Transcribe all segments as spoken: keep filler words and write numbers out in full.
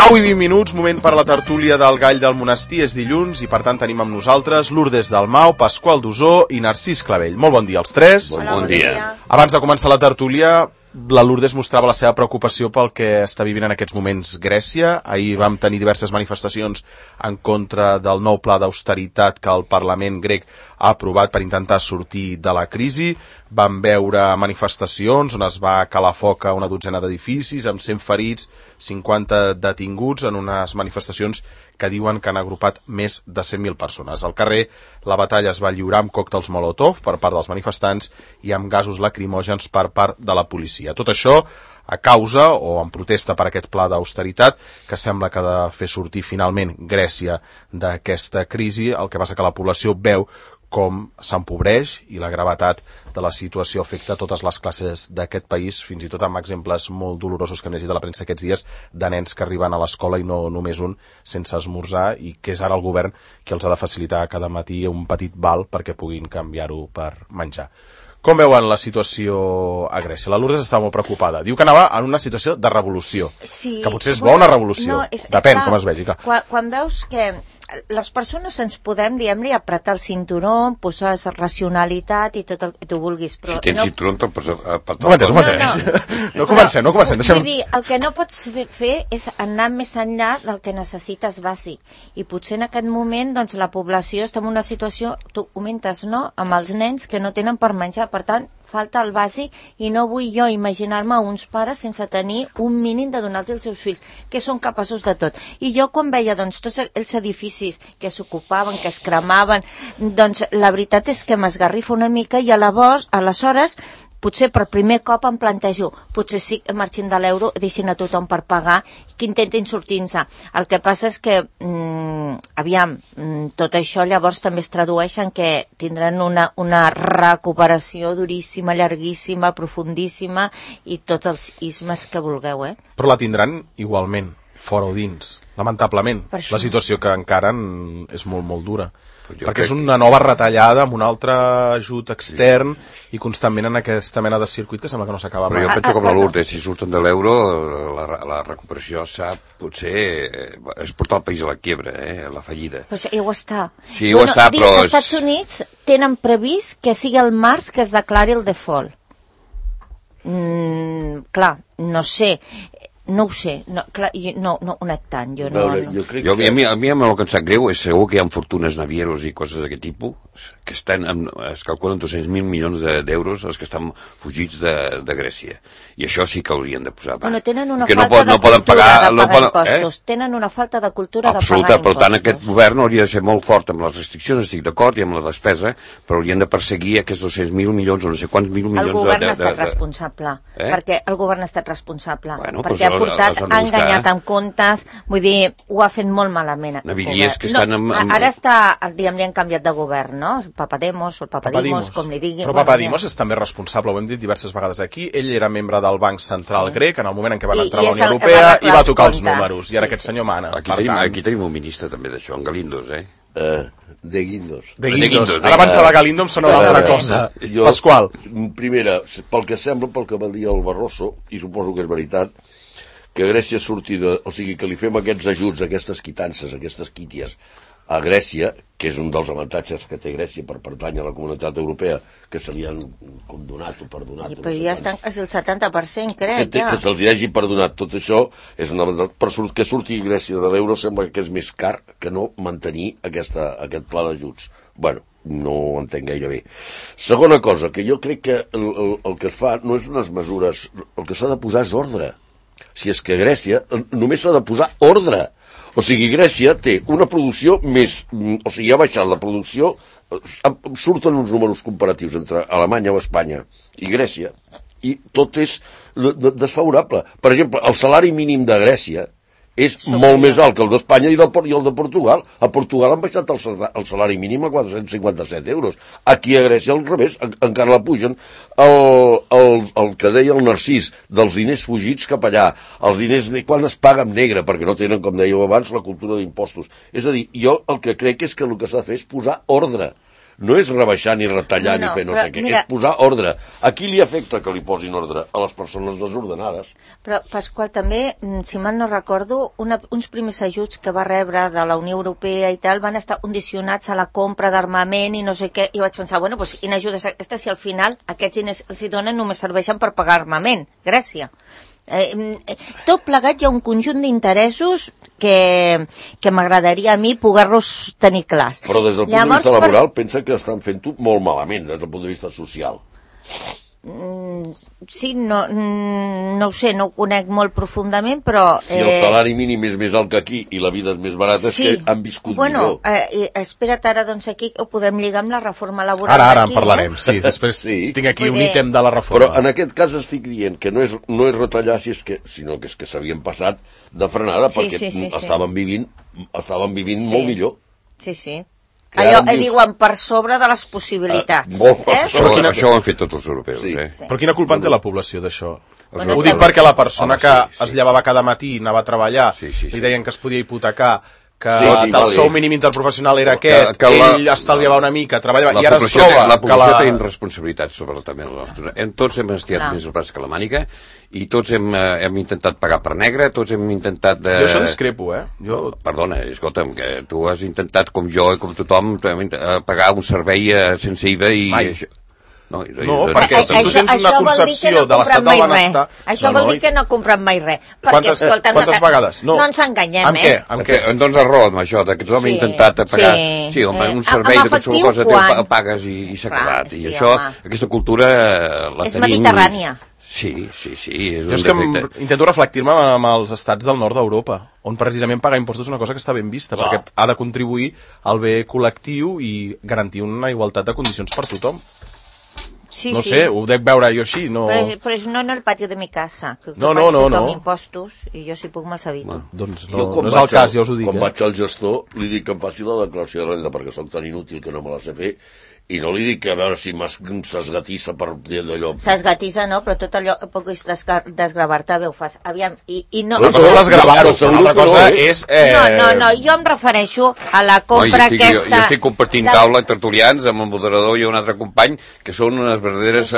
nou i vint minuts, moment per la tertúlia del Gall del Monestir. És dilluns i per tant tenim amb nosaltres Lourdes Dalmau, Pasqual Dusó i Narcís Clavell. Molt bon dia als tres. Bon, bon dia. Abans de començar la tertúlia, la Lourdes mostrava la seva preocupació pel que està vivint en aquests moments Grècia. Ahir vam tenir diverses manifestacions en contra del nou pla d'austeritat que el Parlament grec ha aprovat per intentar sortir de la crisi. Vam veure manifestacions on es va calar foc a una dotzena d'edificis amb cent ferits, cinquanta detinguts en unes manifestacions que diuen que han agrupat més de cent mil persones. Al carrer, la batalla es va lliurar amb còctels Molotov per part dels manifestants i amb gasos lacrimògens per part de la policia. Tot això a causa o en protesta per aquest pla d'austeritat que sembla que ha de fer sortir finalment Grècia d'aquesta crisi, el que passa que la població veu com s'empobreix i la gravetat de la situació afecta totes les classes d'aquest país, fins i tot amb exemples molt dolorosos que hem llegit a la premsa aquests dies de nens que arriben a l'escola i no només un sense esmorzar, i que és ara el govern qui els ha de facilitar cada matí un petit val perquè puguin canviar-ho per menjar. Com veuen la situació a Grècia? La Lourdes està molt preocupada. Diu que anava en una situació de revolució. Sí, que potser és bona una revolució. No, és, Depèn clar, com es vegi. Clar. Quan, quan veus que les persones ens podem, diguem-li, apretar el cinturó, posar racionalitat i tot el que tu vulguis, però... Si tens no... cinturó, te'l pots apretar. No m'entens, no m'entens. No, no comencem, no comencem. Deixem... Vull dir, el que no pots fer és anar més enllà del que necessites bàsic. I potser en aquest moment, doncs, la població està en una situació, tu comentes, no?, amb els nens que no tenen per menjar. Per tant, falta el bàsic i no vull jo imaginar-me uns pares sense tenir un mínim de donar-los als seus fills, que són capaços de tot. I jo quan veia, doncs, tots els edificis que s'ocupaven, que es cremaven, doncs la veritat és que m'esgarrifa una mica i aleshores, aleshores potser per primer cop em plantejo, potser sí que marxin de l'euro, deixin a tothom per pagar, que intentin sortir-se. El que passa és que, mmm, aviam, mmm, tot això llavors també es tradueix en que tindran una, una recuperació duríssima, llarguíssima, profundíssima i tots els ismes que vulgueu, eh? Però la tindran igualment, fora o dins, lamentablement. La situació que encara és molt, molt dura. Perquè és una nova retallada amb un altre ajut extern i constantment en aquesta mena de circuit que sembla que no s'acaba mai. Però jo penso com la Lourdes, si surten de l'euro, la, la recuperació s'ha, potser, és portar el país a la quiebra, eh, a la fallida. Però ja ho està. Sí, ho bueno, està, dic, però... Els Estats Units tenen previst que sigui el març que es declari el default. Mm, clar, no sé... No ho sé, no, clar, no, no ho net tant, jo no... Veure, no. jo crec jo, que... a, mi, a mi el que em sap greu és segur que hi ha fortunes navieros i coses d'aquest tipus que estan, amb, es calculen dos-cents mil milions d'euros els que estan fugits de, de Grècia. I això sí que haurien de posar. Bueno, tenen una que falta no, pot, de no poden cultura pagar, de no pagar poden, impostos. Eh? Tenen una falta de cultura Absoluta, de pagar per tant, impostos. aquest govern hauria de ser molt fort amb les restriccions, estic d'acord, i amb la despesa, però haurien de perseguir aquests dos-cents mil milions o no sé quants mil milions de... El govern de, ha estat de, de... responsable, Eh? perquè el govern ha estat responsable, Bueno, perquè ha portat, ha enganyat buscar, eh? amb comptes, vull dir, ho ha fet molt malament. Naviliers que estan no, amb, amb... Ara està, diguem, li han canviat de govern, no? Papademos o el Papadimos, com li diguin. Però Papadimos és també responsable, ho hem dit diverses vegades aquí. Ell era membre del Banc Central sí. grec en el moment en què van entrar I, a la Unió Europea i va tocar els números, i ara sí, aquest sí. senyor mana. Aquí tenim, tant... aquí tenim un ministre també d'això, en Galindos, eh? Uh, de Guindos. De Guindos. De Guindos. Ara abans de Galindo em sona una altra cosa. Jo, Pasqual. Primera, pel que sembla, pel que va dir el Barroso, i suposo que és veritat, que Grècia surti de... O sigui, que li fem aquests ajuts, aquestes quitances, aquestes quíties a Grècia, que és un dels avantatges que té Grècia per pertànyer a la comunitat europea, que se li han condonat o perdonat. I, però ja estan quasi el setanta per cent, crec, que, ja. Que se'ls hagi perdonat. Tot això és una avantatge. Per que surti Grècia de l'euro sembla que és més car que no mantenir aquesta, aquest pla d'ajuts. Bueno, no ho entenc gaire bé. Segona cosa, que jo crec que el, el, el que es fa no és unes mesures... El que s'ha de posar és ordre. Si és que Grècia només s'ha de posar ordre. O sigui, Grècia té una producció més... O sigui, ha baixat la producció... Surten uns números comparatius entre Alemanya o Espanya i Grècia i tot és desfavorable. Per exemple, el salari mínim de Grècia és Som molt més alt que el d'Espanya i, i el de Portugal. A Portugal han baixat el, el salari mínim a quatre-cents cinquanta-set euros. Aquí a Grècia, al revés, en, encara la pugen. El, el, el que deia el Narcís, dels diners fugits cap allà, els diners quan es paga en negre, perquè no tenen, com dèieu abans, la cultura d'impostos. És a dir, jo el que crec és que el que s'ha de fer és posar ordre. no és rebaixar ni retallar no, no, ni fer no però, sé què, mira, és posar ordre. A qui li afecta que li posin ordre? A les persones desordenades. Però, Pasqual, també, si mal no recordo, una, uns primers ajuts que va rebre de la Unió Europea i tal van estar condicionats a la compra d'armament i no sé què, i vaig pensar, bueno, doncs quina ajuda és aquesta si al final aquests diners els hi donen només serveixen per pagar armament? Grècia. Eh, eh, tot plegat hi ha un conjunt d'interessos que, que m'agradaria a mi poder-los tenir clars. Però des del Llavors, punt de vista laboral per... pensa que estan fent-ho molt malament des del punt de vista social. Mm, sí, no, mm, no ho sé, no ho conec molt profundament, però... Si el salari mínim és més alt que aquí i la vida és més barata, sí. és que han viscut bueno, millor. Eh, espera't ara, doncs aquí ho podem lligar amb la reforma laboral. Ara, ara aquí, en parlarem, eh? sí. Després sí. tinc aquí Vull un dir... ítem de la reforma. Però en aquest cas estic dient que no és, no és retallar, si és que, sinó que és que s'havien passat de frenada Sí, perquè sí, sí, sí. estaven vivint, estaven vivint Sí. molt millor. Sí, sí. Que Allò, ara em eh, dius- diuen per sobre de les possibilitats. Ah, molt per eh? Això, quina- això ho han fet tots els europeus, Sí. eh? Sí. Però quina culpa en té la població d'això? Bueno, Ho dic també- perquè la persona Home, que sí, sí, es llevava cada matí i anava a treballar, Sí, sí, sí. li deien que es podia hipotecar, que Sí, sí, el vale. sou mínim interprofessional era Que- aquest, que la- ell estalviava una mica, treballava, La i ara es població, troba té, la població que té la... responsabilitats sobre també els nostres. Hem, tots hem estirat Clar. més el braç que la mànica i tots hem, eh, hem intentat pagar per negre, tots hem intentat... De... Jo això discrepo, eh? Jo... Perdona, escolta'm, que tu has intentat, com jo i com tothom, tu hem int- eh, pagar un servei eh, sense I V A i... Mai. Això... No, i, No, i, perquè si tu tens una vol dir que concepció no de l'estat compren mai del benestar... res. Això No, vol no, dir que no compren mai res. Perquè, Quantes, escolta, quantes no, vegades? No. no ens enganyem, Amb què? eh? Amb Perquè què? em dones raó amb això, de que tothom Sí, ha intentat pagar... sí. Sí, home, Eh, un servei amb de qualsevol efectiu, cosa quan? te pagues i, i s'ha Clar, acabat. I sí, això, home. aquesta cultura eh, la És tenim... mediterrània. Sí, sí, sí, és Jo un és que em, defecte. intento reflectir-me amb els estats del nord d'Europa, on precisament pagar impostos és una cosa que està ben vista, Clar. perquè ha de contribuir al bé col·lectiu i garantir una igualtat de condicions per tothom. Sí, No sí. sé, ho dec veure jo així, no... Però, és- però és no en el pati de mi casa. Que, que No, no, pagui no, tothom no. impostos i jo si puc me'ls evito. Bueno. Doncs no, Jo, quan no és vaig el cas, al- ja us ho dic. Quan Eh? vaig al gestor, li dic que em faci la declaració de renda, perquè sóc tan inútil que no me la sé fer, i no li dic que a veure si s'esgatissa per dir d'allò. S'esgatissa, no, però tot allò que puguis desgra desgravar-te bé ho fas. Aviam, i, i no... Una cosa és desgravar-ho, Però una altra segur que cosa no, eh? és... Eh... No, no, no, jo em refereixo a la No, compra jo, estic, aquesta... jo, jo estic compartint de- taula tertulians amb el moderador i un altre company que són unes verdaderes... Sí,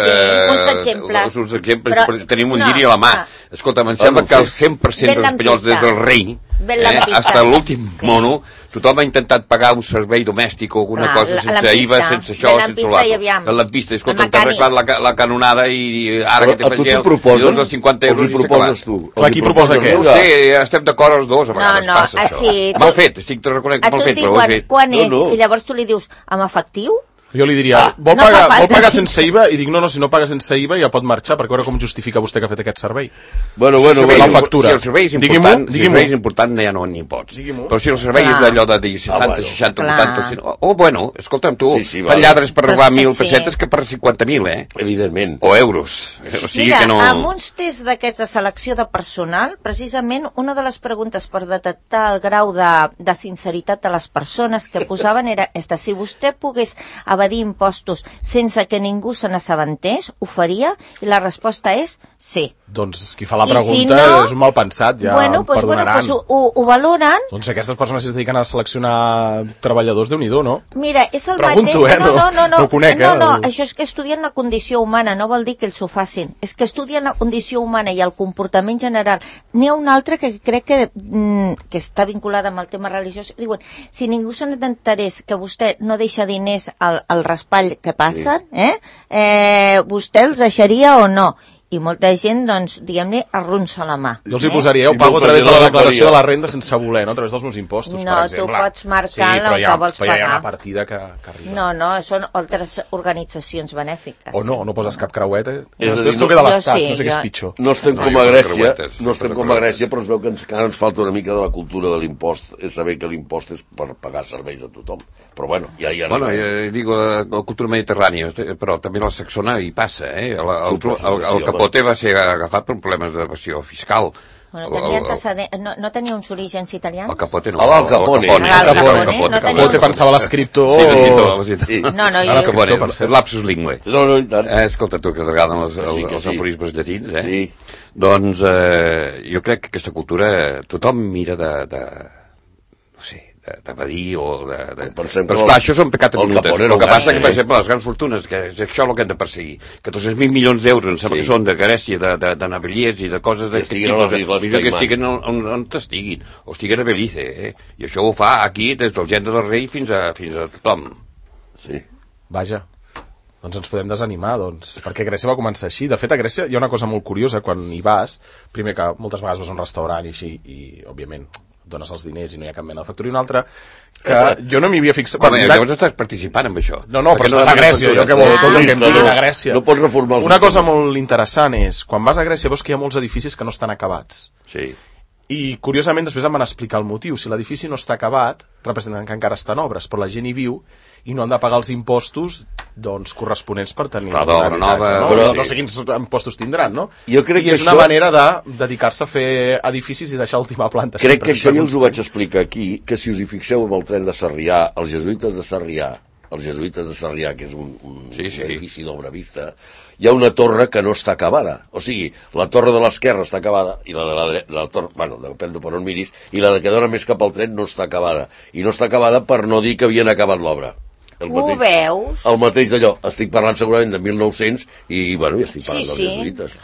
uns exemples. Uns exemples, Però- però, tenim un no, lliri a la mà. ah. Escolta, em Ah, sembla no ho que el sé. cent per cent Ben dels espanyols, lampista. des del rei, Ben eh, lampista. hasta l'últim Sí. mono, tothom ha intentat pagar un servei domèstic o alguna Clar, cosa la- sense lampista. I V A, sense això, Ben sense lampista l'altre. i aviam. El lampista, escolta, El t'ha mecànic. arreglat la, ca- la canonada i ara Però que t'he a tu fet t'ho el proposen? milions de cinquanta euros Els i hi s'ha proposes acabat. tu? Clar, Els hi qui proposa proposes què? No tu? ho sé, estem d'acord els dos, a No, vegades no, passa ah, això. sí, tu- Mal fet, estic te reconec A mal tu fet, et però ho he diuen fet. quan No, és, no. i llavors tu li dius, amb efectiu? Jo li diria, vol, no pagar, fa falta. vol pagar sense I V A? I dic, no, no, si no paga sense I V A ja pot marxar, perquè a veure com justifica vostè que ha fet aquest servei. Bueno, bueno, Si el bueno. servei- la factura. Si el servei és Digui'm-ho, important, si el digui'm-ho. servei és important, ja no n'hi pots. Digui'm-ho. Però si el servei Clar. és d'allò de dir setanta, Ah, bueno. seixanta, Clar. vuitanta... cent... O, o bueno, escolta'm tu, Sí, sí, fan vale. lladres per robar Però, mil sí. pessetes que per cinquanta mil, eh? Evidentment. O euros. O sigui Mira, que no... amb uns tests d'aquests de selecció de personal, precisament una de les preguntes per detectar el grau de, de sinceritat de les persones que posaven era esta: si vostè pogués evadir impostos sense que ningú se n'assabentés, ho faria? I la resposta és sí. Doncs qui fa la I si pregunta no, és un mal pensat, ja bueno, em pues, bueno, perdonaran. pues ho, ho, ho valoren. Doncs aquestes persones si es dediquen a seleccionar treballadors, Déu-n'hi-do, no? Mira, és el Pregunto, mateix... eh? No, no, no, no, No ho conec, no, eh? no, això és que estudien la condició humana, no vol dir que ells ho facin. És que estudien la condició humana i el comportament general. N'hi ha un altre que crec que, mm, que està vinculada amb el tema religiós. Diuen, si ningú se n'enterés que vostè no deixa diners al, al raspall que passen, sí. eh? eh, vostè els deixaria o no? I molta gent, doncs, diguem-ne, arronsa la mà. Jo els hi eh? posaria, ho I pago a molta través de gent la la declaració faria. de la renda sense voler, no? A través dels meus impostos, No, per tu exemple. pots marcar sí, el però que hi ha, vols però hi ha pagar. una partida que, que arriba. No, no, són altres organitzacions benèfiques. O no, no poses cap creueta. És a dir, Després no- que de Jo l'Estat, sí, no sé què jo- és pitjor. No estem No, com jo a faig Grècia, creuetes, no estem faig com a creuetes. Grècia, però es veu que ens, encara ens falta una mica de la cultura de l'impost, és saber que l'impost és per pagar serveis de tothom. Però bueno, ja hi Bueno, arribem. eh, digo, la, la cultura mediterrània, però també la saxona hi passa, eh? El, el, Super, el, el, sí, el capote va ser agafat per problemes d'evasió fiscal. Bueno, El- tenia el- antecedent, no, no tenia uns orígens italians? El capote no. Ah, el Capone. El Capone. Ah, el el Capone, Capone, no Capone. tenia- Te pensava l'escriptor... Sí, l'escriptor, l'escriptor. Sí. No, no, El jo... escriptor, Capone, per cert. lapsus lingue. No, no, i tant. Eh, escolta, tu que t'agraden els, els, Sí que els sí. aforismes llatins, eh? Sí. Doncs eh, jo crec que aquesta cultura tothom mira de, de no sé, d'evadir o de... de... Pensem Però, que esclar, el- això són pecats el minutes. Capone El no que ho passa gasta, que, per eh? exemple, les grans fortunes, que és això el que hem de perseguir, que dos-cents mil milions d'euros, em sembla Sí. que són de Grècia, de, de, de naviliers i de coses Que d'aquest estiguin a les Isles millor que Caimán. estiguen on, on, on estiguin, o estiguen a Belize, eh? I això ho fa aquí des del gent del rei fins a, fins a tothom. Sí. Vaja, doncs ens podem desanimar, doncs, perquè Grècia va començar així. De fet, a Grècia hi ha una cosa molt curiosa quan hi vas, primer que moltes vegades vas a un restaurant i així, i òbviament dones els diners i no hi ha cap mena de factura, i una altra que jo no m'hi havia fixat. Home, Bueno, llavors estàs participant amb això. No, no, però Perquè estàs a Grècia, jo què vols, Ah. escolta, que em No, diguin no, a Grècia. no pots reformar el Una cosa sistema. molt interessant és, quan vas a Grècia veus que hi ha molts edificis que no estan acabats. Sí. I, curiosament, després em van explicar el motiu. Si l'edifici no està acabat, representen que encara està en obres, però la gent hi viu i no han de pagar els impostos doncs, corresponents per tenir Clar, un d'obra habitatge, nova, no? però- no, no sé quins impostos tindran, no? Jo crec I que és una això- manera de dedicar-se a fer edificis i deixar l'última planta. Crec sempre que això sense ja us ho construir. vaig explicar aquí, que si us hi fixeu amb el tren de Sarrià, els jesuïtes de Sarrià, els jesuïtes de Sarrià, que és un, un, Sí, sí. un edifici d'obra vista, hi ha una torre que no està acabada. O sigui, la torre de l'esquerra està acabada, i la de la, dre- la torre, bueno, depèn de per on miris, i la de que dona més cap al tren no està acabada. I no està acabada per no dir que havien acabat l'obra. El Ho veus? El mateix d'allò. Estic parlant segurament de mil nou-cents i, bueno, ja estic Sí, parlant dels sí. jesuïtes.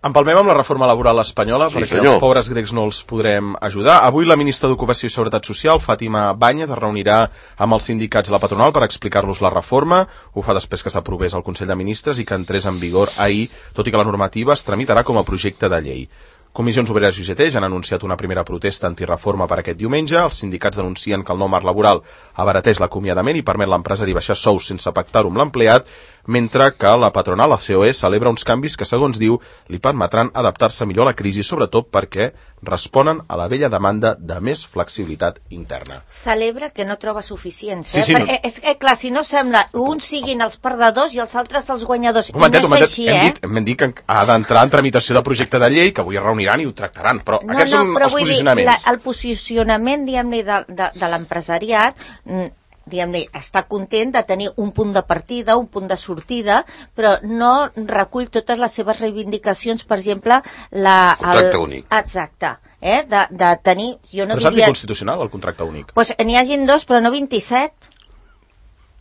Empalmem amb la reforma laboral espanyola, Sí, perquè senyor. els pobres grecs no els podrem ajudar. Avui la ministra d'Ocupació i Seguretat Social, Fàtima Báñez, es reunirà amb els sindicats i la patronal per explicar-los la reforma. Ho fa després que s'aprovés al Consell de Ministres i que entrés en vigor ahir, tot i que la normativa es tramitarà com a projecte de llei. Comissions Obreres i U G T ja han anunciat una primera protesta antireforma per aquest diumenge. Els sindicats denuncien que el nou marc laboral abarateix l'acomiadament i permet l'empresari baixar sous sense pactar-ho amb l'empleat, mentre que la patronal, la C O E, celebra uns canvis que, segons diu, li permetran adaptar-se millor a la crisi, sobretot perquè responen a la vella demanda de més flexibilitat interna. Celebra que no troba suficients, Sí, eh? sí, Perquè, no. és que, clar, si no sembla, uns siguin els perdedors i els altres els guanyadors. Un momentet, I un no és momentet. així, Hem eh? dit, hem dit que ha d'entrar en tramitació de projecte de llei, que avui es reuniran i ho tractaran, però No, aquests no, són però els vull dir, posicionaments. la, el posicionament, diguem-ne, de, de, de l'empresariat, mm, diguem-ne, està content de tenir un punt de partida, un punt de sortida, però no recull totes les seves reivindicacions, per exemple, la... Contracte el, únic. Exacte, eh? de, de tenir... Jo no Però és diria... anticonstitucional, el contracte únic. Pues n'hi hagin dos, però no vint-i-set.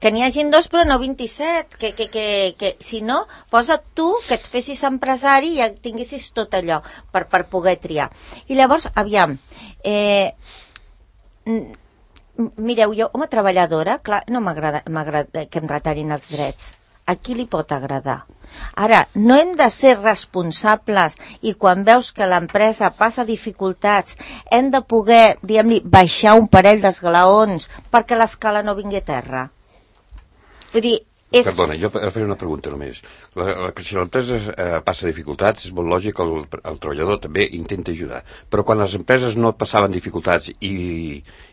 Que n'hi hagin dos, però no vint-i-set. Que, que, que, que, si no, posa't tu que et fessis empresari i ja tinguessis tot allò per, per poder triar. I llavors, aviam, eh, mireu, jo, home treballadora, clar, no m'agrada m'agrada que em retallin els drets. A qui li pot agradar? Ara, no hem de ser responsables i quan veus que l'empresa passa dificultats hem de poder, diguem-li, baixar un parell d'esglaons perquè l'escala no vingui a terra. Vull dir, és... Perdona, jo faré una pregunta només. La, la, si l'empresa eh, passa dificultats, és molt lògic que el, el treballador també intenta ajudar. Però quan les empreses no passaven dificultats i,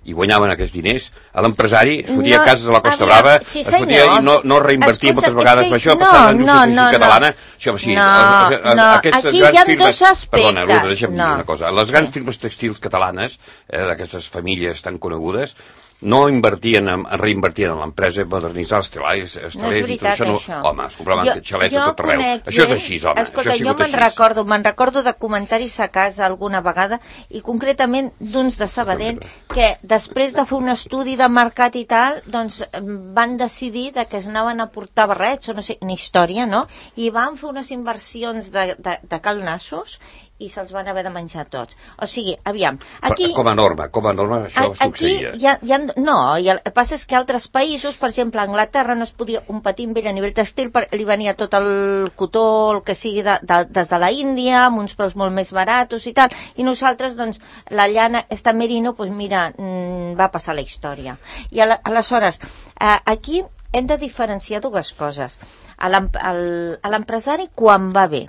i guanyaven aquests diners, a l'empresari es fotia No, a cases de la Costa aviam, Brava, sí, es fotia senyor. i no, no reinvertia Escolta, moltes vegades. és que- Això no, passava en la no, indústria no, catalana. no. Això, sí, No, a, a, no, aquestes aquí grans hi ha firmes, dos aspectes. Perdona, Lourdes, deixa'm No. dir una cosa. Les grans Sí. firmes textils catalanes, eh, d'aquestes famílies tan conegudes, no invertien, en, reinvertien en l'empresa, modernitzar els telers, els No és telers i tot veritat, això. No, això. home, es compraven xalets a tot arreu. conec Això és gent- així, home. Escolta, això ha jo sigut me'n així. recordo, me'n recordo de comentaris a casa alguna vegada i concretament d'uns de Sabadell que després de fer un estudi de mercat i tal, doncs van decidir de que es anaven a portar barrets o no sé, una història, no? I van fer unes inversions de, de, de calnassos i se'ls van haver de menjar tots. O sigui, aviam, aquí... Com a norma, com a norma això A- Aquí succeïa. hi ha, hi ha, no, i el que passa és que altres països, per exemple, a Anglaterra no es podia un patir amb ell a nivell textil, perquè li venia tot el cotó, el que sigui de, de, des de la Índia, amb uns preus molt més baratos i tal, i nosaltres, doncs, la llana, esta merino, doncs mira, mm, va passar la història. I ala, aleshores, eh, aquí hem de diferenciar dues coses. A l'em- al- a l'empresari quan va bé.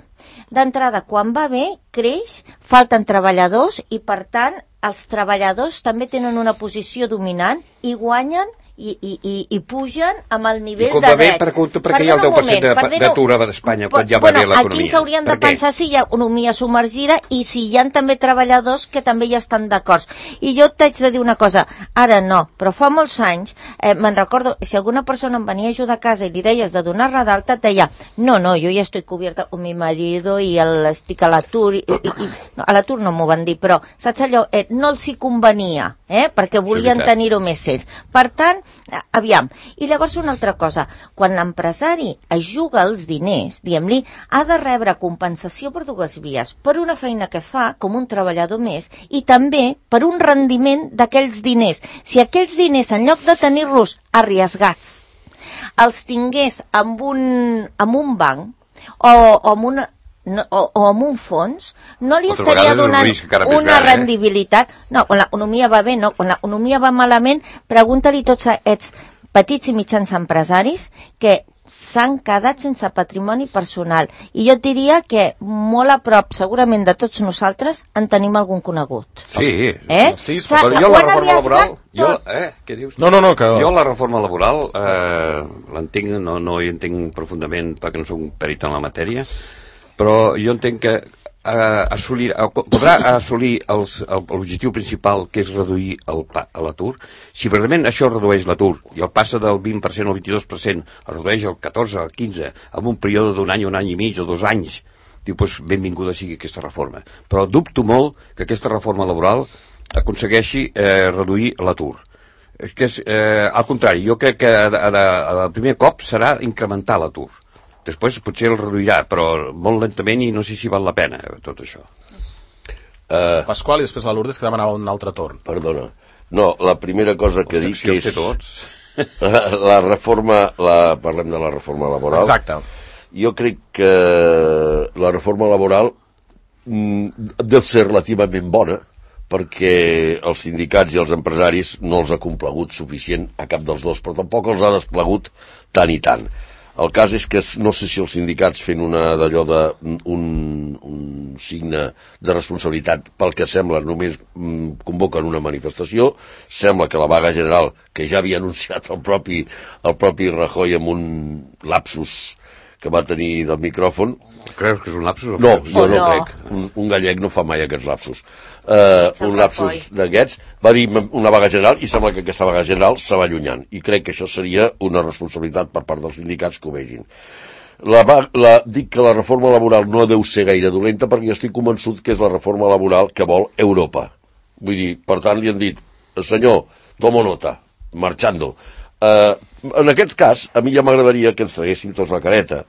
D'entrada, quan va bé, creix, falten treballadors i, per tant, els treballadors també tenen una posició dominant i guanyen i, i, i, i pugen amb el nivell I com de va bé, drets. per, per què hi ha el deu per cent d'atur a Espanya quan ja va bueno, bé l'economia? Aquí s'haurien de pensar si hi ha economia submergida i si hi ha també treballadors que també hi estan d'acord. I jo t'haig de dir una cosa, ara no, però fa molts anys, eh, me'n recordo, si alguna persona em venia a ajudar a casa i li deies de donar-la d'alta, et deia, no, no, jo ja estoy cubierta con mi marido i el, estic a l'atur, i, i, i, no, a l'atur no m'ho van dir, però saps allò, eh, no els hi convenia, eh, perquè volien tenir-ho més ells. Per tant, aviam, i llavors una altra cosa, quan l'empresari es juga els diners, diguem-li, ha de rebre compensació per dues vies, per una feina que fa com un treballador més i també per un rendiment d'aquells diners. Si aquells diners, en lloc de tenir-los arriesgats, els tingués amb un, amb un banc o, o amb una No, o, o amb un fons, no li Altra estaria donant un una gran, rendibilitat. Eh? No, quan l'economia va bé, no. Quan l'economia va malament, pregunta-li tots a aquests petits i mitjans empresaris que s'han quedat sense patrimoni personal. I jo et diria que molt a prop, segurament, de tots nosaltres, en tenim algun conegut. Sí, eh? sí, però jo la reforma laboral... Jo, eh, què dius? No, no, no, que... Jo la reforma laboral eh, l'entenc, no, no hi entenc profundament perquè no soc un perit en la matèria, però jo entenc que eh, assolir, eh, podrà assolir l'objectiu principal, que és reduir l'atur. Si realment això redueix l'atur i el passa del vint per cent al vint-i-dos per cent, el redueix al catorze, al quinze, en un període d'un any, un any i mig o dos anys, diu, doncs benvinguda sigui aquesta reforma. Però dubto molt que aquesta reforma laboral aconsegueixi eh, reduir l'atur. És que és, eh, al contrari, jo crec que el primer cop serà incrementar l'atur. Després potser el reduirà, però molt lentament i no sé si val la pena tot això. Uh, Pasqual i després la Lourdes, que demanava un altre torn. Perdona. No, la primera cosa que dic és... Tots. La, la reforma, la, parlem de la reforma laboral. Exacte. Jo crec que la reforma laboral mm, deu ser relativament bona, perquè els sindicats i els empresaris no els ha complagut suficient a cap dels dos, però tampoc els ha desplegut tant i tant. El cas és que no sé si els sindicats fent una d'allò de un, un signe de responsabilitat, pel que sembla només mm, convoquen una manifestació. Sembla que la vaga general, que ja havia anunciat el propi, el propi Rajoy amb un lapsus que va tenir del micròfon. Creus que és un lapsus? O no, fos? jo no, no crec. Un, un gallec no fa mai aquests lapsus. Uh, un lapsus d'aquests va dir una vaga general i sembla que aquesta vaga general se va allunyant i crec que això seria una responsabilitat per part dels sindicats que ho vegin. La, la, dic que la reforma laboral no deu ser gaire dolenta perquè jo estic convençut que és la reforma laboral que vol Europa. Vull dir, per tant li han dit, senyor, tomo nota, marchando. Uh, en aquest cas, a mi ja m'agradaria que ens traguéssim tots la careta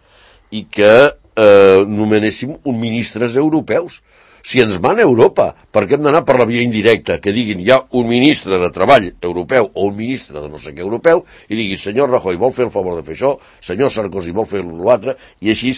i que uh, nomenéssim un ministres europeus. Si ens mana Europa, per què hem d'anar per la via indirecta? Que diguin, hi ha un ministre de Treball europeu o un ministre de no sé què europeu i diguin, senyor Rajoy vol fer el favor de fer això, senyor Sarkozy vol fer l'altre, i així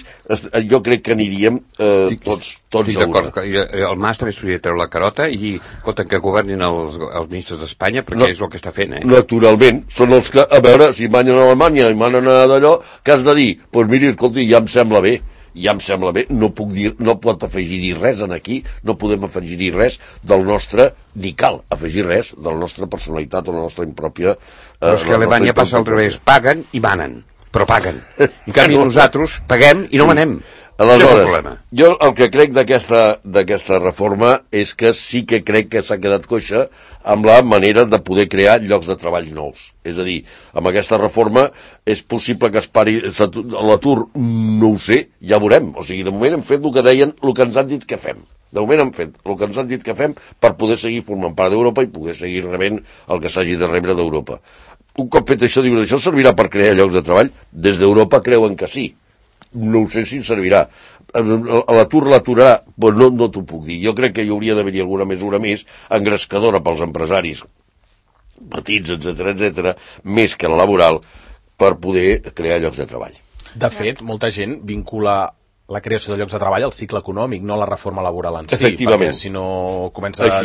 jo crec que aniríem eh, tots, tots a una. El Mas també s'hauria de treure la carota i compten que governin els, els ministres d'Espanya perquè no, és el que està fent. Eh? Naturalment, són els que, a veure, si manen a Alemanya i manen a d'allò, què has de dir? Doncs pues miri, escolti, ja em sembla bé. ja em sembla bé, no puc dir, no pot afegir-hi res en aquí, no podem afegir-hi res del nostre, ni cal afegir res de la nostra personalitat o la nostra impròpia... Eh, però és que a Alemanya passa al revés, paguen i manen, però paguen. En canvi nosaltres paguem i no sí. manem. Aleshores, jo el que crec d'aquesta reforma és que sí que crec que s'ha quedat coixa amb la manera de poder crear llocs de treball nous. És a dir, amb aquesta reforma és possible que es pari l'atur, no ho sé, ja veurem. O sigui, de moment hem fet el que deien, el que ens han dit que fem. De moment hem fet el que ens han dit que fem per poder seguir formant part d'Europa i poder seguir rebent el que s'hagi de rebre d'Europa. Un cop fet això, dius, això servirà per crear llocs de treball? Des d'Europa creuen que sí. No sé si servirà. L'atur l'aturarà? Pues no, no t'ho puc dir. Jo crec que hi hauria d'haver-hi alguna mesura més engrescadora pels empresaris petits, etcètera, etcètera, més que la laboral, per poder crear llocs de treball. De fet, molta gent vincula la creació de llocs de treball al cicle econòmic, no a la reforma laboral en si, perquè si no comença a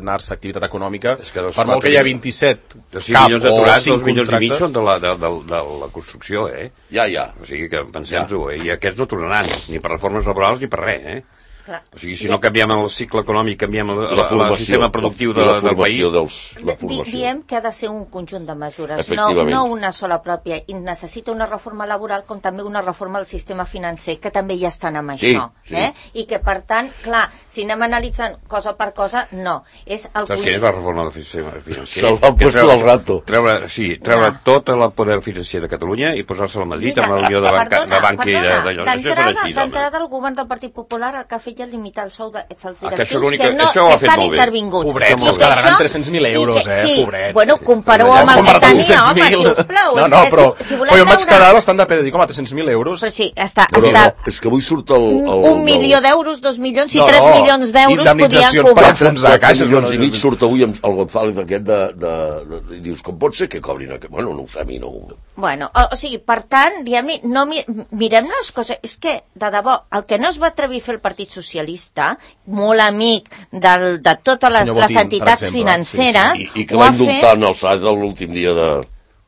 anar-se activitat econòmica, per molt que hi ha vint-i-set cap o cinc contractes... són de la, de, de, de la construcció, eh? Ja, ja. O sigui que pensem-ho, eh? I aquests no tornaran, ni per reformes laborals ni per res, eh? Clar. O sigui, si no canviem el cicle econòmic, canviem el, la el, el sistema productiu de, la del país... Dels, la formació. Diem que ha de ser un conjunt de mesures, no, no una sola pròpia. I necessita una reforma laboral com també una reforma del sistema financer, que també ja estan amb sí, això. Sí. Eh? I que, per tant, clar, si anem analitzant cosa per cosa, no. És el Saps què és la reforma del sistema financer? Salvar el puesto del rato. Treure, sí, treure no. tot el poder financer de Catalunya i posar-se a Madrid amb la Unió de Banca, de banca i d'allò. D'entrada, el govern del Partit Popular el que ha fet ja limitar el sou dels directius que, que, no, que estan intervinguts. Pobrets, els quedaran tres-cents mil euros, eh, sí, pobrets. Bueno, compareu amb el que tenia, home, sisplau. No, no, però, si, si però jo em vaig quedar bastant de pedra, dic, home, tres-cents mil euros. Però sí, està... Però està no, és que avui surt el... el un milió d'euros, dos milions, i no, tres milions d'euros podien cobrar. Per enfonsar caixes. milions i mig surt avui amb el González aquest de, de, de, de... Dius, com pot ser que cobrin aquest? Bueno, no ho sé, a mi no... Bueno, o, o sigui, per tant, diguem-li, no mi, mirem les coses, és que, de debò, el que no es va atrevir a fer el Partit Socialista, molt amic del, de totes les, Botín, les entitats exemple, financeres... Sí, sí. I, I que va indultar en el S A D l'últim dia de...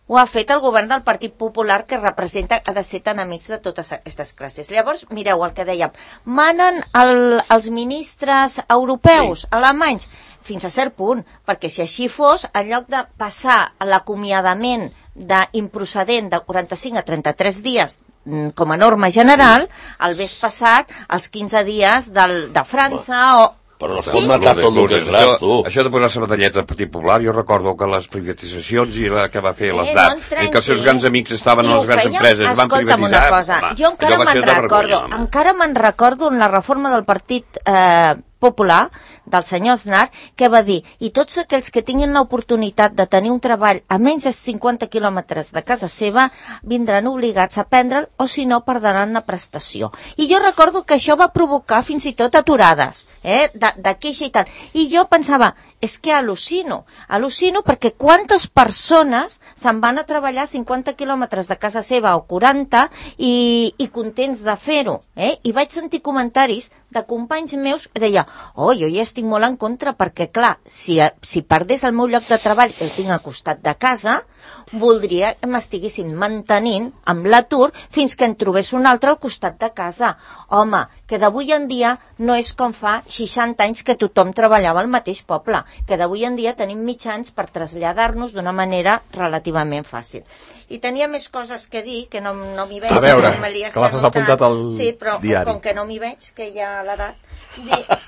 Ho ha fet el govern del Partit Popular, que representa, ha de ser tan amics de totes aquestes classes. Llavors, mireu el que dèiem, manen el, els ministres europeus, sí. alemanys, fins a cert punt, perquè si així fos, en lloc de passar l'acomiadament d'improcedent de quaranta-cinc a trenta-tres dies com a norma general, el ves passat els quinze dies del, de França o... Però no es pot matar tot el que és gras, tu. Això de posar-se medalleta al Partit Popular, jo recordo que les privatitzacions i la que va fer l'Estat, eh, no que els seus grans amics estaven a les grans empreses, van privatitzar... Una cosa, va, jo encara me'n recordo, encara me'n recordo en la reforma del Partit eh, Popular, del senyor Aznar, que va dir, i tots aquells que tinguin l'oportunitat de tenir un treball a menys de cinquanta quilòmetres de casa seva, vindran obligats a prendre'l, o si no, perdran la prestació. I jo recordo que això va provocar fins i tot aturades, eh, de, de queixa i tal. I jo pensava, és que al·lucino, al·lucino perquè quantes persones se'n van a treballar cinquanta quilòmetres de casa seva o quaranta i, i contents de fer-ho, eh? I vaig sentir comentaris de companys meus que deia, oh, jo ja estic molt en contra perquè, clar, si, si perdés el meu lloc de treball que el tinc al costat de casa, voldria que m'estiguessin mantenint amb l'atur fins que en trobés un altre al costat de casa. Home, que d'avui en dia no és com fa seixanta anys que tothom treballava al mateix poble, que d'avui en dia tenim mitjans per traslladar-nos d'una manera relativament fàcil. I tenia més coses que dir, que no, no m'hi veig. A veure, que, que les has apuntat al sí, però, diari. Com que no m'hi veig, que ja l'edat...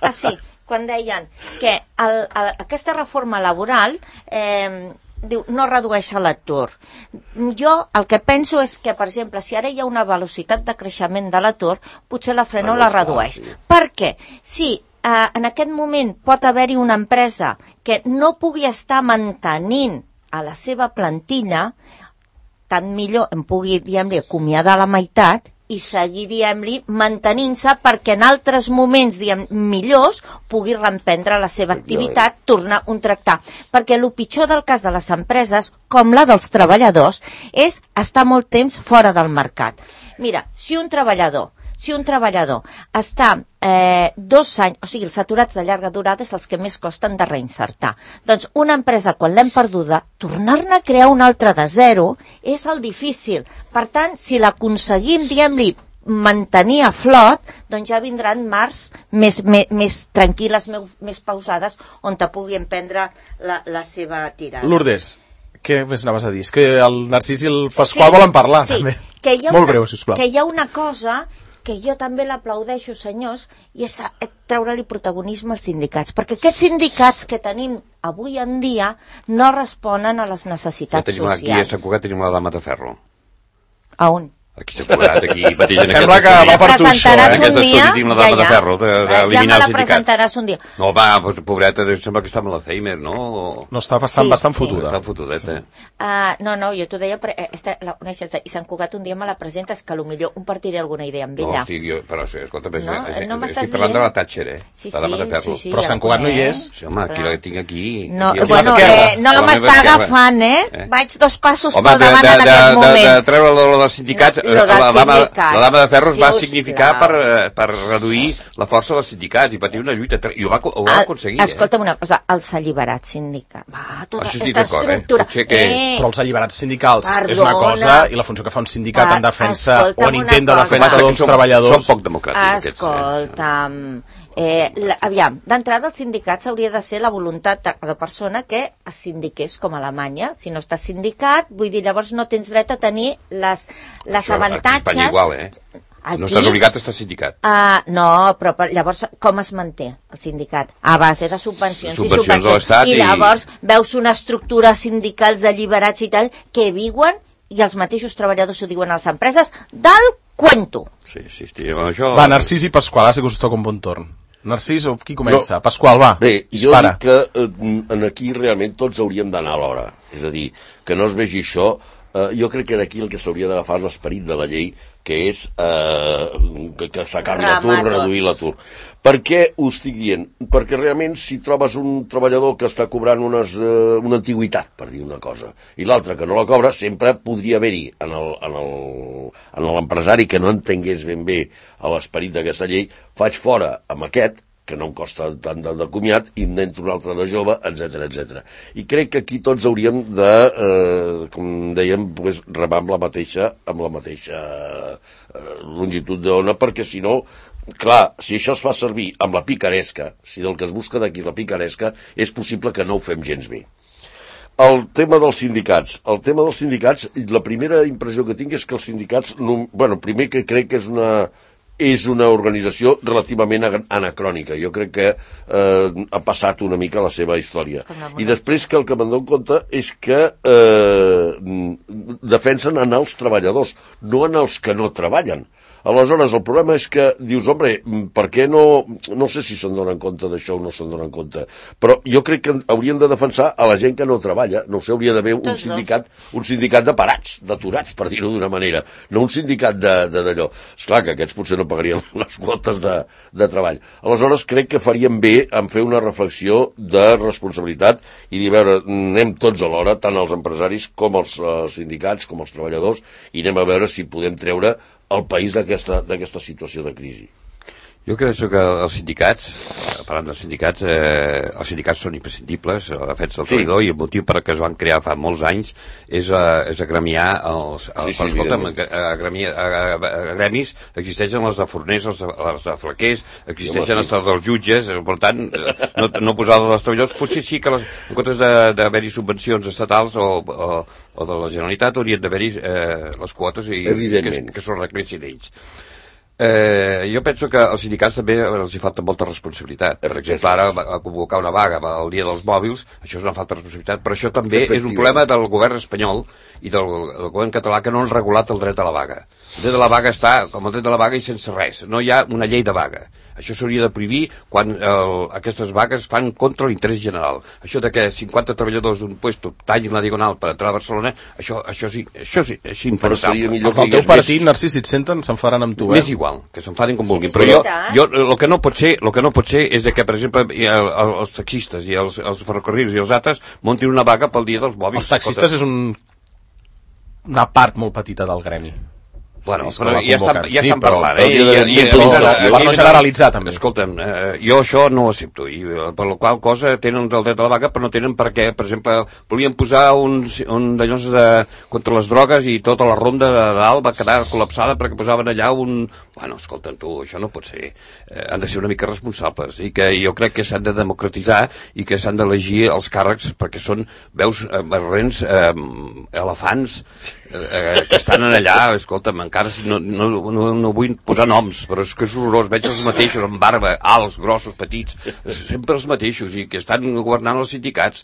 Ah, sí, quan deien que el, el, aquesta reforma laboral... Eh, diu, no redueix l'atur. Jo el que penso és que, per exemple, si ara hi ha una velocitat de creixement de l'atur, potser la frena o la redueix. Per què? Si eh, en aquest moment pot haver-hi una empresa que no pugui estar mantenint a la seva plantilla, tant millor em pugui, diguem-li, acomiadar la meitat i seguir, diguem-li, mantenint-se perquè en altres moments, diguem, millors, pugui reemprendre la seva activitat, tornar a contractar. Perquè el pitjor del cas de les empreses, com la dels treballadors, és estar molt temps fora del mercat. Mira, si un treballador Si un treballador està eh, dos anys, o sigui, els aturats de llarga durada és els que més costen de reinsertar. Doncs una empresa, quan l'hem perduda, tornar-ne a crear una altra de zero és el difícil. Per tant, si l'aconseguim, diguem-li, mantenir a flot, doncs ja vindran marcs més, més, més tranquil·les, més pausades, on te pugui emprendre la, la seva tirada. Lourdes, què més anaves a dir? És que el Narcís i el Pasqual sí, volen parlar, sí, també. Que hi ha Molt una, breu, sisplau. Que hi ha una cosa que jo també l'aplaudeixo, senyors, i és treure-li protagonisme als sindicats, perquè aquests sindicats que tenim avui en dia no responen a les necessitats ja tenim socials. Aquí a Sant Cugat tenim la dama de ferro. A on? Aquí s'ha cobrat, aquí mateix en sembla que va per tu això, eh? Aquest estudi tinc la dama ja, de ferro, d'eliminar ja els me la presentaràs un dia. No, va, pues, pobreta, sembla que està amb l'Alzheimer, no? No, està bastant, sí, bastant sí. fotuda. Està fotudeta. Sí. Uh, no, no, jo t'ho deia, eh, esta, la coneixes, i Sant Cugat un dia me la presentes, que potser compartiré alguna idea amb ella. No, sí, jo, però sí, escolta, no, eh, no estic parlant de la Thatcher, eh? Sí, la dama de ferro. Sí, sí, però Sant Cugat no hi és. Sí, home, aquí la tinc aquí. No, aquí, bueno, eh, no m'està agafant, eh? Vaig dos passos pel davant en aquest moment. De treure lo dels sindicats, lo del la, dama, sindicat. la dama de ferro Si va us significar plau. per, per reduir la força dels sindicats i patir una lluita, i ho va, ho va aconseguir. Escolta'm una cosa, els alliberats sindicats. Va, tota Això estic aquesta d'acord, eh? estructura. Potser que- Eh, Però els alliberats sindicals Perdona. és una cosa i la funció que fa un sindicat Va, en defensa escolta'm o en intent de una defensa cosa. d'uns Som- treballadors... Són poc democràtics. Escolta'm, eh, la, aviam, d'entrada els sindicats hauria de ser la voluntat de cada persona que es sindiqués com a Alemanya. Si no estàs sindicat, vull dir, llavors no tens dret a tenir les, les Això, avantatges... Aquí a Espanya igual, eh? Aquí, No estàs obligat a estar sindicat. Uh, no, però per, llavors com es manté el sindicat? A base de subvencions, Subvencions i subvencions. de l'Estat I i- llavors veus una estructura sindicals d'alliberats i tal que viuen, i els mateixos treballadors ho diuen a les empreses, del cuento. Sí, sí, sí. Això... Va, Narcís i Pasqual, ara sí que us toca un bon torn. Narcís, o qui comença? No. Pasqual, va, Bé, jo dispara. dic que eh, en aquí realment tots hauríem d'anar a l'hora. És a dir, que no es vegi això. Eh, jo crec que d'aquí el que s'hauria d'agafar l'esperit de la llei, que és eh, que, que s'acabi l'atur, Rematos. reduir l'atur. Per què ho estic dient? Perquè realment si trobes un treballador que està cobrant unes, eh, una antiguitat, per dir una cosa, i l'altre que no la cobra, sempre podria haver-hi en el, en el, en l'empresari que no entengués ben bé a l'esperit d'aquesta llei, faig fora amb aquest, que no em costa tant de, de comiat, i em n'entro un altre de jove, etcètera, etcètera. I crec que aquí tots hauríem de, eh, com dèiem, pues, remar amb la mateixa, amb la mateixa eh, longitud d'ona, perquè si no, clar, si això es fa servir amb la picaresca, si del que es busca d'aquí és la picaresca, és possible que no ho fem gens bé. El tema dels sindicats. El tema dels sindicats, la primera impressió que tinc és que els sindicats, no, bueno, primer que crec que és una... és una organització relativament anacrònica. Jo crec que eh, ha passat una mica la seva història. I després que el que me'n dono compte és que eh, defensen en els treballadors, no en els que no treballen. Aleshores, el problema és que dius, home, per què no... No sé si se'n donen compte d'això o no se'n donen compte, però jo crec que haurien de defensar a la gent que no treballa. No sé, hauria d'haver un sindicat, un sindicat de parats, d'aturats, per dir-ho d'una manera, no un sindicat d'allò. Esclar que aquests potser no pagarien les quotes de, de treball. Aleshores, crec que faríem bé en fer una reflexió de responsabilitat i dir, veure, anem tots a l'hora, tant els empresaris com els eh, sindicats, com els treballadors, i anem a veure si podem treure el país d'aquesta d'aquesta situació de crisi. Jo crec que els sindicats, parlant dels sindicats, eh, els sindicats són imprescindibles a la defensa del treballador, sí. I el motiu per què es van crear fa molts anys és, uh, és agremiar els... els sí, sí, escolta'm, agremiar, agremis existeixen els de forners, els de, els de flaquers, existeixen sí, els dels jutges, per tant, no, no posar els treballadors. Potser sí que les, en comptes d'haver-hi subvencions estatals o, o, o de la Generalitat haurien d'haver-hi eh, les quotes i que, que s'ho recressin ells. Eh, jo penso que als sindicats també els hi falta molta responsabilitat. Per exemple, ara a convocar una vaga el dia dels mòbils, això és una falta de responsabilitat, però això també és un problema del govern espanyol i del, del govern català que no han regulat el dret a la vaga. El dret a la vaga està com el dret a la vaga i sense res. No hi ha una llei de vaga. Això s'hauria de prohibir quan el, aquestes vagues fan contra l'interès general. Això de que cinquanta treballadors d'un puesto tallin la diagonal per entrar a Barcelona, això, això sí, això sí, és impensable. Els del teu partit, Narcís, si et senten, s'enfadaran amb tu, eh? M'és igual, que s'enfadin com vulguin, però jo, jo el que no pot ser, el que no pot ser és de que, per exemple, el, el, els taxistes i els, els ferrocarrils i els altres muntin una vaga pel dia dels mòbils. Els taxistes és un... una part molt petita del gremi. Bueno, sí, però ja estan, ja sí, estan però, parlant, eh? I, i, i, i, per no generalitzar, també. Escolta'm, eh, jo això no ho accepto, i per la qual cosa tenen el dret a la vaga, però no tenen per què. Per exemple, volien posar un, un d'allòs de, contra les drogues i tota la ronda de dalt va quedar col·lapsada perquè posaven allà un... Bueno, escolta'm tu, això no pot ser. Eh, han de ser una mica responsables, i que jo crec que s'han de democratitzar i que s'han d'elegir els càrrecs perquè són, veus, eh, barrents, eh, elefants, eh, que estan allà, escolta'm, encara si no, no, no, no vull posar noms, però és que és horrorós, veig els mateixos, amb barba, alts, grossos, petits, sempre els mateixos, i que estan governant els sindicats.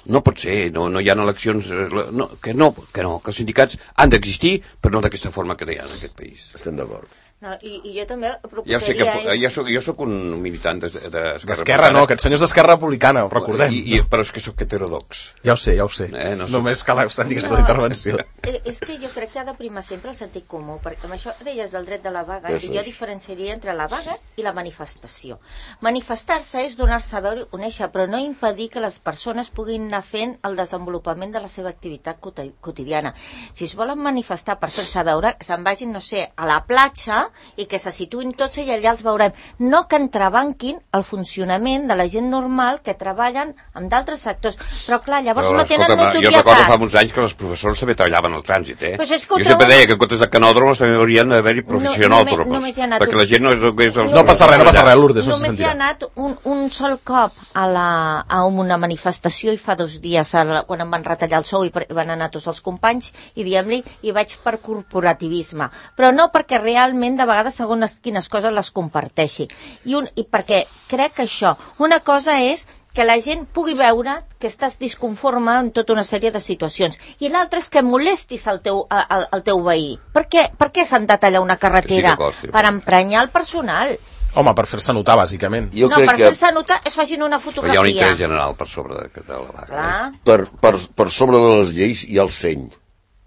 No pot ser, no, no hi ha eleccions, no, que no, que no, que els sindicats han d'existir, però no d'aquesta forma que hi ha en aquest país. Estem d'acord. No, i, i jo també proposaria... Jo, sé que, és... jo, soc, jo soc un militant d'Esquerra D'Esquerra, no, aquest senyor és d'Esquerra Republicana, ho recordem. I, i, però és que sóc heterodox. Ja ho sé, ja ho sé. Eh, no Només cal sentir aquesta no, intervenció. És que jo crec que ha de primar sempre el sentit comú, perquè amb això deies del dret de la vaga, Eso i jo és. diferenciaria entre la vaga i la manifestació. Manifestar-se és donar-se a veure i conèixer, però no impedir que les persones puguin anar fent el desenvolupament de la seva activitat quotidiana. Si es volen manifestar per fer-se veure, se'n vagin, no sé, a la platja i que se situïn tots i allà els veurem. No que entrebanquin el funcionament de la gent normal que treballen amb d'altres sectors. Però clar, llavors Però, no tenen escolta, notorietat. jo recordo fa uns anys que els professors també treballaven al trànsit, eh? Pues és que ho jo sempre troben- deia que en comptes de canòdromes també haurien d'haver-hi professionòdromos, No, només hi ha anat perquè un- la gent no és... Els No passa res, no passa res, Lourdes, no se Només hi ha sentirà. anat un, un sol cop a, la, a una manifestació i fa dos dies, a la, quan em van retallar el sou i per, van anar tots els companys i diem-li, i vaig per corporativisme. Però no perquè realment de vegades segons quines coses les comparteixi. I, un, I perquè crec que això, una cosa és que la gent pugui veure que estàs disconforme en tota una sèrie de situacions. I l'altre és que molestis el teu, el, el teu veí. Per què, per què s'han de tallar una carretera? Sí, per emprenyar el personal. Home, per fer-se notar, bàsicament. Jo no, crec per que fer-se notar es facin una Però fotografia. hi ha un interès general per sobre de, de la vaga. Clar. per, per, per sobre de les lleis hi ha el seny.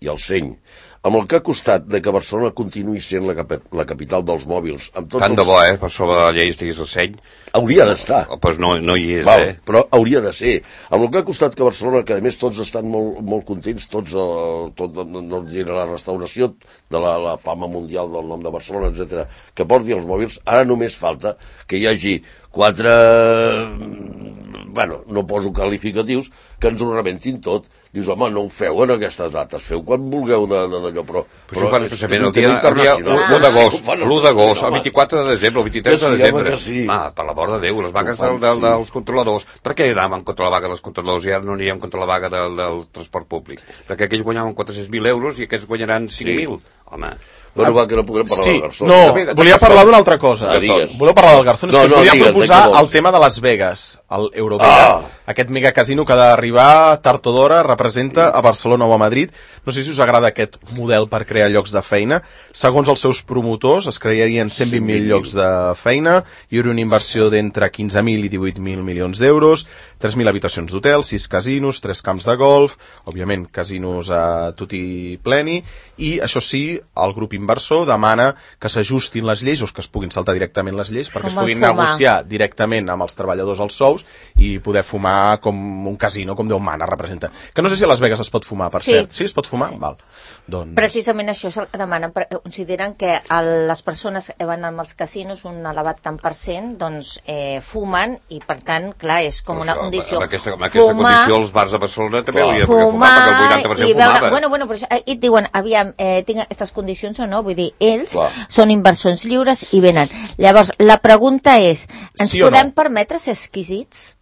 Hi ha el seny. Amb el que ha costat de que Barcelona continuï sent la, cap la capital dels mòbils. Amb tots Tant els... de bo, eh? Per sobre de la llei estigués el seny. Hauria d'estar. Doncs pues no, no hi és, Val, eh? però hauria de ser. Amb el que ha costat que Barcelona, que a més tots estan molt, molt contents, tots, eh, tot, no, no diré la restauració de la, la fama mundial del nom de Barcelona, etcètera, que porti els mòbils, ara només falta que hi hagi quatre, bueno, no poso qualificatius, que ens ho rebentin tot. Dius, home, no ho feu en aquestes dates, feu quan vulgueu d'allò, però... Però això ho fan és- especialment és un el dia, tema el dia internacional. l'u d'agost, Ho fan l'u d'agost, el home. vint-i-quatre de desembre, el vint-i-tres Que de sí, desembre. home, que sí. Ah, per l'amor de Déu, les vagues Ho fan, del, del, sí. dels controladors. Per què anàvem contra la vaga dels controladors i ara no anirem contra la vaga del, del transport públic? Perquè aquells guanyaven quatre-cents mil euros i aquests guanyaran cinc mil. Home... Bueno, va, que no podrem parlar Sí, del Garzón. no, També de- volia parlar d'una altra cosa. Que digues. Voleu parlar del Garzón? És No, que us no, volia digues, proposar de què vols? el tema de Las Vegas, el Eurovegas, Ah. aquest megacasino que ha d'arribar tard o d'hora, representa a Barcelona o a Madrid. No sé si us agrada aquest model per crear llocs de feina. Segons els seus promotors, es crearien cent vint mil llocs de feina, hi hauria una inversió d'entre quinze mil i divuit mil milions d'euros, tres mil habitacions d'hotel, sis casinos, tres camps de golf, òbviament casinos a tutti pleni, i això sí, el grup inversor demana que s'ajustin les lleis o que es puguin saltar directament les lleis perquè Com es el puguin fumar. negociar directament amb els treballadors els sous i poder fumar com un casino, com Déu mana representa. Que no sé si a Las Vegas es pot fumar, per Sí. cert. Sí, es pot fumar? Sí. Val. Doncs... Precisament això és el que demanen. per- Consideren que el, les persones que van als casinos, un elevat tant per cent, doncs eh, fumen i, per tant, clar, és com una Però, condició. Amb aquesta, amb aquesta condició, els bars de Barcelona també haurien de poder fumar, fumar perquè el vuitanta per cent i veure, fumava. bueno, bueno, però això, eh, i et diuen, aviam, eh, tinc aquestes condicions o no? Vull dir, ells Clar. són inversors lliures i venen. Llavors, la pregunta és, ens Sí o podem no? permetre ser exquisits?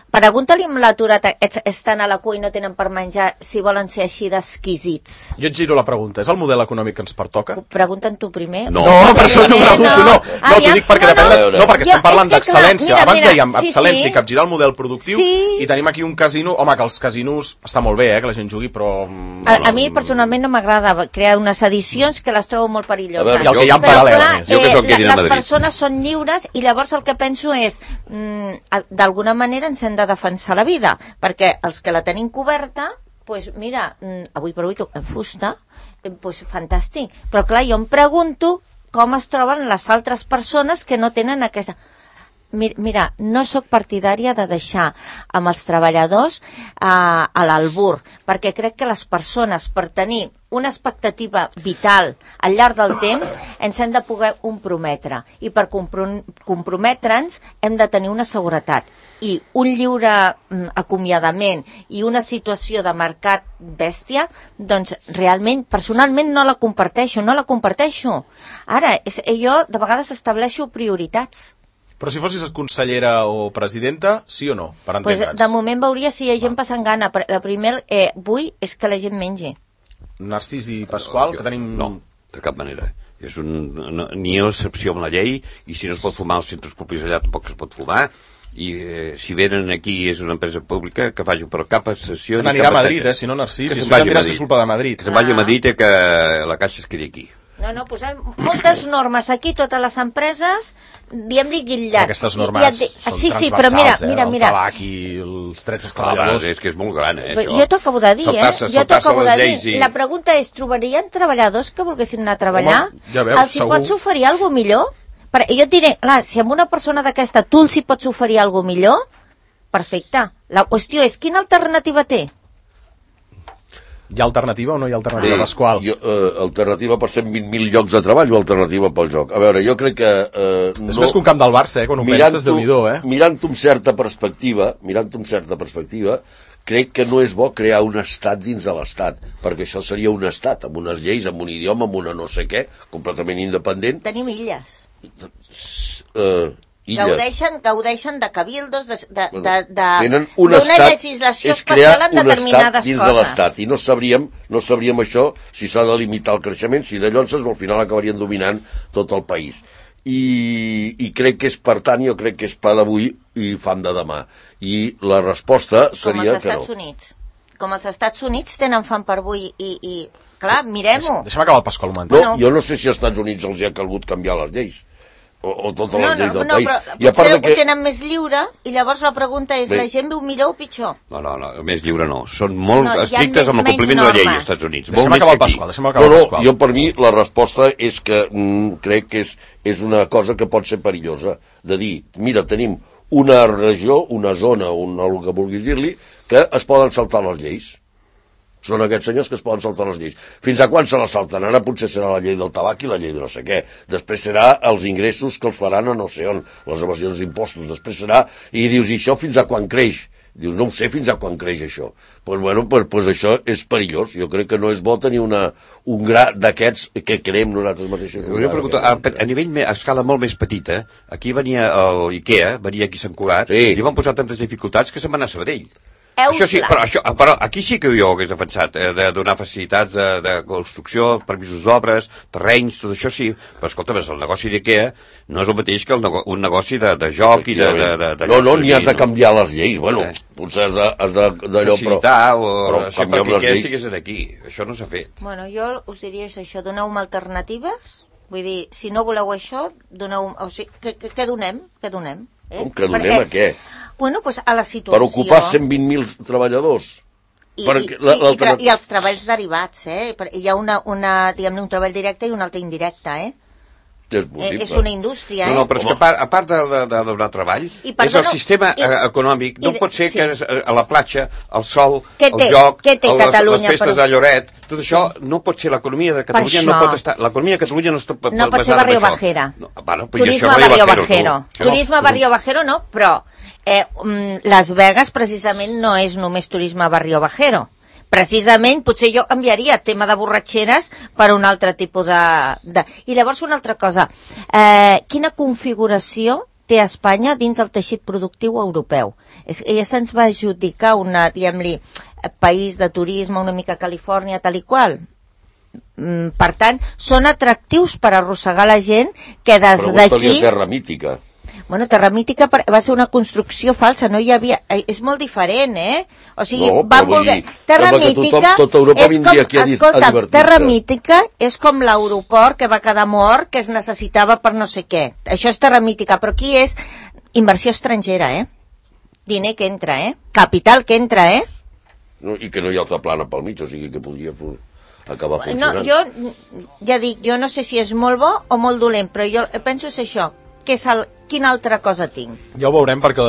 Pregunta-li amb l'aturat, estan a la cua i no tenen per menjar, si volen ser així d'exquisits. Jo et giro la pregunta. És el model econòmic que ens pertoca? Pregunten tu primer. No. No, per això t'ho Eh, pregunto, no. No, t'ho Aviam, dic perquè no, depèn de... no. No, perquè Jo- estem parlant és que, clar, d'excel·lència. mira, Abans mira, dèiem sí, excel·lència sí. i capgirar el model productiu Sí. i tenim aquí un casino... Home, que els casinos... Està molt bé, eh, que la gent jugui, però... mm, A, a mi personalment no m'agrada crear unes edicions que les trobo molt perilloses. A veure, I el que hi ha en Però paral·lel, clar, a més. Jo que sóc eh, Kevin a les Madrid. persones són lliures i llavors el que penso és mm, a- d'alguna manera ens hem de defensar la vida, perquè els que la tenim coberta, pues mira, mm, avui per avui toca fusta, eh, pues fantàstic, però clar, jo em pregunto com es troben les altres persones que no tenen aquesta... Mi- Mira, no sóc partidària de deixar amb els treballadors a, a l'albur, perquè crec que les persones, per tenir una expectativa vital al llarg del temps, ens hem de poder comprometre. I per comprom comprometre'ns hem de tenir una seguretat. I un lliure mm, acomiadament i una situació de mercat bèstia, doncs realment, personalment no la comparteixo, no la comparteixo. Ara, és, jo de vegades estableixo prioritats. Però si fossis consellera o presidenta, sí o no? Per Pues, entendre'ns. de moment veuria si hi ha gent passant gana. Però el primer eh, vull és que la gent mengi. Narcís i Pasqual, que tenim... No, de cap manera. És un, no, ni hi ha excepció amb la llei, i si no es pot fumar als centres públics allà tampoc es pot fumar, i eh, si venen aquí és una empresa pública, que faci per cap sessió... Se n'anirà a Madrid, eh, si no, Narcís. Que Si se'n es vagi a diràs que Madrid. és culpa de Madrid. Que se'n vagi a Madrid i que la caixa es quedi aquí. No, no, posem moltes normes aquí, totes les empreses, diem-li guitllat. Aquestes normes I, i són sí, sí, transversals, però mira, eh? mira, mira. El tabac i els drets dels Clar, treballadors. és que és molt gran, eh, això. Jo t'ho acabo de dir, eh? Jo t'ho acabo de dir. I... La pregunta és, trobarien treballadors que volguessin anar a treballar? Home, ja veus, els hi segur. pots oferir alguna millor? Per, jo et diré, clar, si amb una persona d'aquesta tu els hi pots oferir alguna millor, perfecte. La qüestió és, quina alternativa té? Hi ha alternativa o no hi ha alternativa, Sí, Pasqual? jo, eh, alternativa per cent vint mil llocs de treball o alternativa pel joc? A veure, jo crec que... Eh, És no, més que un camp del Barça, eh? Quan ho penses, Déu-n'hi-do, eh? Mirant-ho amb certa perspectiva, mirant-ho amb certa perspectiva, crec que no és bo crear un estat dins de l'estat, perquè això seria un estat, amb unes lleis, amb un idioma, amb una no sé què, completament independent. Tenim illes. Eh, illes. Gaudeixen, gaudeixen de cabildos, de, de, de, de, Tenen un d'una estat, legislació és crear especial en un estat determinades dins coses. de l'estat, i no sabríem, no sabríem això si s'ha de limitar el creixement, si de llonses al final acabarien dominant tot el país. I, i crec que és, per tant, jo crec que és pa d'avui i fam de demà. I la resposta seria que no. Com els Estats Units. Com els Estats Units tenen fam per avui i, i clar, mirem-ho. Deixa'm acabar el Pasqual un moment. No, Bueno. jo no sé si als Estats Units els hi ha calgut canviar les lleis. O, o totes les No, lleis no, del no, país. però I a part potser de que... ho tenen més lliure i llavors la pregunta és, Bé. la gent viu millor o pitjor? No, no, no, més lliure no. Són molt No, hi ha estrictes més- amb el menys compliment de la llei normes. als Estats Units. Deixa'm Molt més acabar el que aquí. Pasqual, deixa'm No, acabar el no, Pasqual. jo per mi la resposta és que mm, crec que és, és una cosa que pot ser perillosa, de dir, mira, tenim una regió, una zona, una, el que vulguis dir-li, que es poden saltar les lleis. Són aquests senyors que es poden saltar les lleis. Fins a quan se les salten? Ara potser serà la llei del tabac i la llei de no sé què. Després serà els ingressos que els faran a no sé on, les evasions d'impostos. Després serà... I dius, i això fins a quan creix? Dius, no ho sé fins a quan creix això. Pues, bueno, pues, pues això és perillós. Jo crec que no és bo tenir una, un gra d'aquests que creem nosaltres mateixos. Jo pregunto, a, a nivell me- a escala molt més petita, aquí venia el IKEA, venia aquí a Sant Cugat, Sí. i van posar tantes dificultats que se'n va anar a Sabadell. Heu Això sí, clar. però, això, però aquí sí que jo hagués defensat, eh, de donar facilitats de, de construcció, permisos d'obres, terrenys, tot això sí, però escolta, el negoci d'IKEA no és el mateix que el nego un negoci de, de joc i de... de, de, de no, no, ni has de canviar les lleis. Bueno, Eh. potser has de, has de, d'allò, però... facilitar o però això canviem perquè les IKEA lleis. estiguessin aquí. Això no s'ha fet. Bueno, jo us diria això, doneu-me alternatives, vull dir, si no voleu això, doneu... O sigui, què, què, què donem? Què donem? Eh? Com que donem a què? Bueno, pues a la situació... Per ocupar cent vint mil treballadors. I, perquè i, la- i, i, l'alternativa- tra- i els treballs derivats, eh? Per- Hi ha una, una diguem-ne, un treball directe i un altre indirecte, eh? És Eh, possible. és una indústria, eh? No, no, però és que a part, a part de, de, de donar treball, I, és perdona, el sistema i- eh, econòmic. No i- pot ser sí. que es- a la platja, el sol, Què el té? joc, Què té el- les, Catalunya, les festes però- de Lloret, tot això no pot ser l'economia de Catalunya, no això. pot estar... L'economia de Catalunya no, està, No pot ser basada en barrio això. bajera. No, bueno, pues Turisme això, barrio bajero, bajero. tu. Turisme barrio bajero no, però eh, mm, Las Vegas precisament no és només turisme barrio bajero. Precisament, potser jo enviaria tema de borratxeres per un altre tipus de... de... I llavors una altra cosa, eh, quina configuració té Espanya dins el teixit productiu europeu? És, ja se'ns va adjudicar una, diguem-li, país de turisme, una mica Califòrnia, tal i qual. Mm, per tant, són atractius per arrossegar la gent que des Pregunta-li d'aquí... a Terra Mítica. Bueno, Terra Mítica per- va ser una construcció falsa, no hi havia... eh, És molt diferent, eh? O sigui, No, però van vull voler... dir, Terra sembla que tothom- Mítica... tota Europa és vindria aquí a dis- a escolta, divertir-se. Terra Mítica és com l'aeroport que va quedar mort, que es necessitava per no sé què. Això és Terra Mítica, però aquí és inversió estrangera, eh? Diner que entra, eh? Capital que entra, eh? No, I que no hi ha altra plana pel mig, o sigui que podria fu- acabar No, funcionant. jo, ja dic, jo no sé si és molt bo o molt dolent, però jo penso és això, que és el, quina altra cosa tinc? Ja ho veurem perquè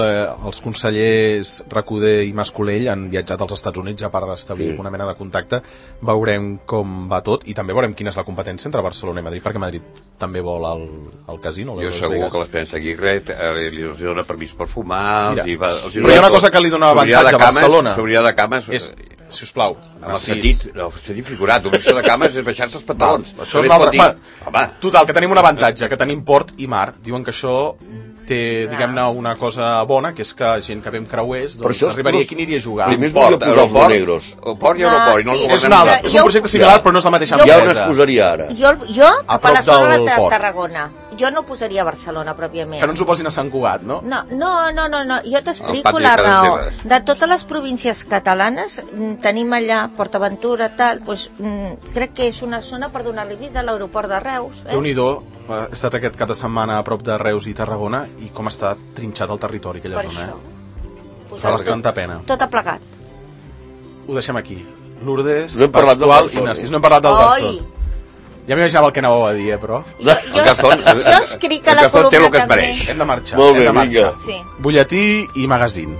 els consellers Recoder i Mascolell han viatjat als Estats Units ja per establir Sí. una mena de contacte. Veurem com va tot i també veurem quina és la competència entre Barcelona i Madrid, perquè Madrid també vol el, el casino. Jo Las segur Vegas. que l'Esperança Aguirre eh, li els dona permís per fumar... Mira, els hi va, els hi però hi ha dona una cosa tot. que li dona S'obrirà avantatge de a cames, Barcelona. S'obrirà de cames... És, si us plau, Amb el sentit, no, el sentit figurat, obrir-se de cames és baixar-se els pantalons. això és També un es pot altre... dir, Va, home, total, que tenim un avantatge, que tenim port i mar. Diuen que això té, diguem-ne, una cosa bona, que és que gent que ve amb creuers, Però doncs això és- arribaria aquí i aniria a jugar. Primer es port, volia posar els aeroport, negros. el port i aeroport, i no el Ah, sí. governem És un altre, nosaltres. és un projecte similar, però no és la mateixa Jo- Ja on empresa. es posaria ara? Jo, jo A per la prop zona del de port. Tarragona. jo no posaria Barcelona, pròpiament. Que no ens ho posin a Sant Cugat, no? No, no, no, no, no. jo Al t'explico pati la de casa raó. seves. De totes les províncies catalanes, mm, tenim allà PortAventura, tal, doncs, mm, crec que és una zona per donar-li vida a l'aeroport de Reus. Eh? Déu-n'hi-do, he estat aquest cap de setmana a prop de Reus i Tarragona i com està trinxat el territori aquella Per zona, això. eh? Fa bastanta pena. Tot ha plegat. Ho deixem aquí. Lourdes, No hem parlat del Pasqual Garzón. i Narcís. No hem parlat del Oi! Garzón. Ja m'imaginava el que anàveu a dir, eh, però... Jo, jo, Garzón, jo escric a el la Garzón té columna el que es també. mereix. Hem de marxar. Molt hem bé, de marxar. vinga. Sí. Butlletí i magazín.